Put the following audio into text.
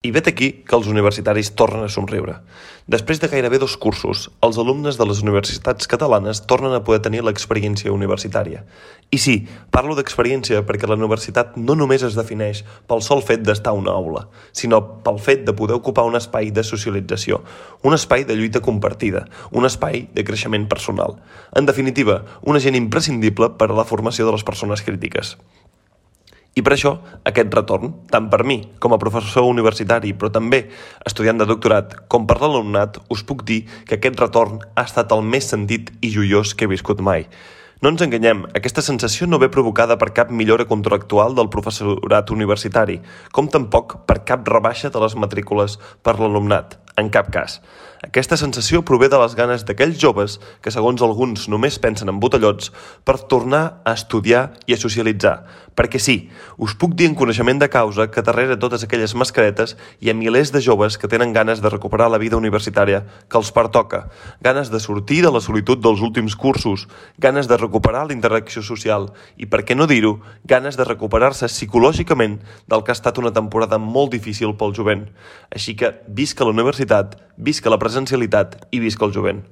I vet aquí que els universitaris tornen a somriure. Després de gairebé 2 cursos, els alumnes de les universitats catalanes tornen a poder tenir l'experiència universitària. I sí, parlo d'experiència perquè la universitat no només es defineix pel sol fet d'estar a una aula, sinó pel fet de poder ocupar un espai de socialització, un espai de lluita compartida, un espai de creixement personal. En definitiva, un agent imprescindible per a la formació de les persones crítiques. I per això, aquest retorn, tant per mi com a professor universitari, però també estudiant de doctorat, com per l'alumnat, us puc dir que aquest retorn ha estat el més sentit i joiós que he viscut mai. No ens enganyem, aquesta sensació no ve provocada per cap millora contractual del professorat universitari, com tampoc per cap rebaixa de les matrícules per l'alumnat, en cap cas. Aquesta sensació prové de les ganes d'aquells joves que, segons alguns, només pensen en botellots per tornar a estudiar i a socialitzar. Perquè sí, us puc dir en coneixement de causa que darrere totes aquelles mascaretes hi ha milers de joves que tenen ganes de recuperar la vida universitària que els pertoca, ganes de sortir de la solitud dels últims cursos, ganes de recuperar la interacció social i, per què no dir-ho, ganes de recuperar-se psicològicament del que ha estat una temporada molt difícil pel jovent. Així que visca la universitat, visca la presencialitat i visca el jovent.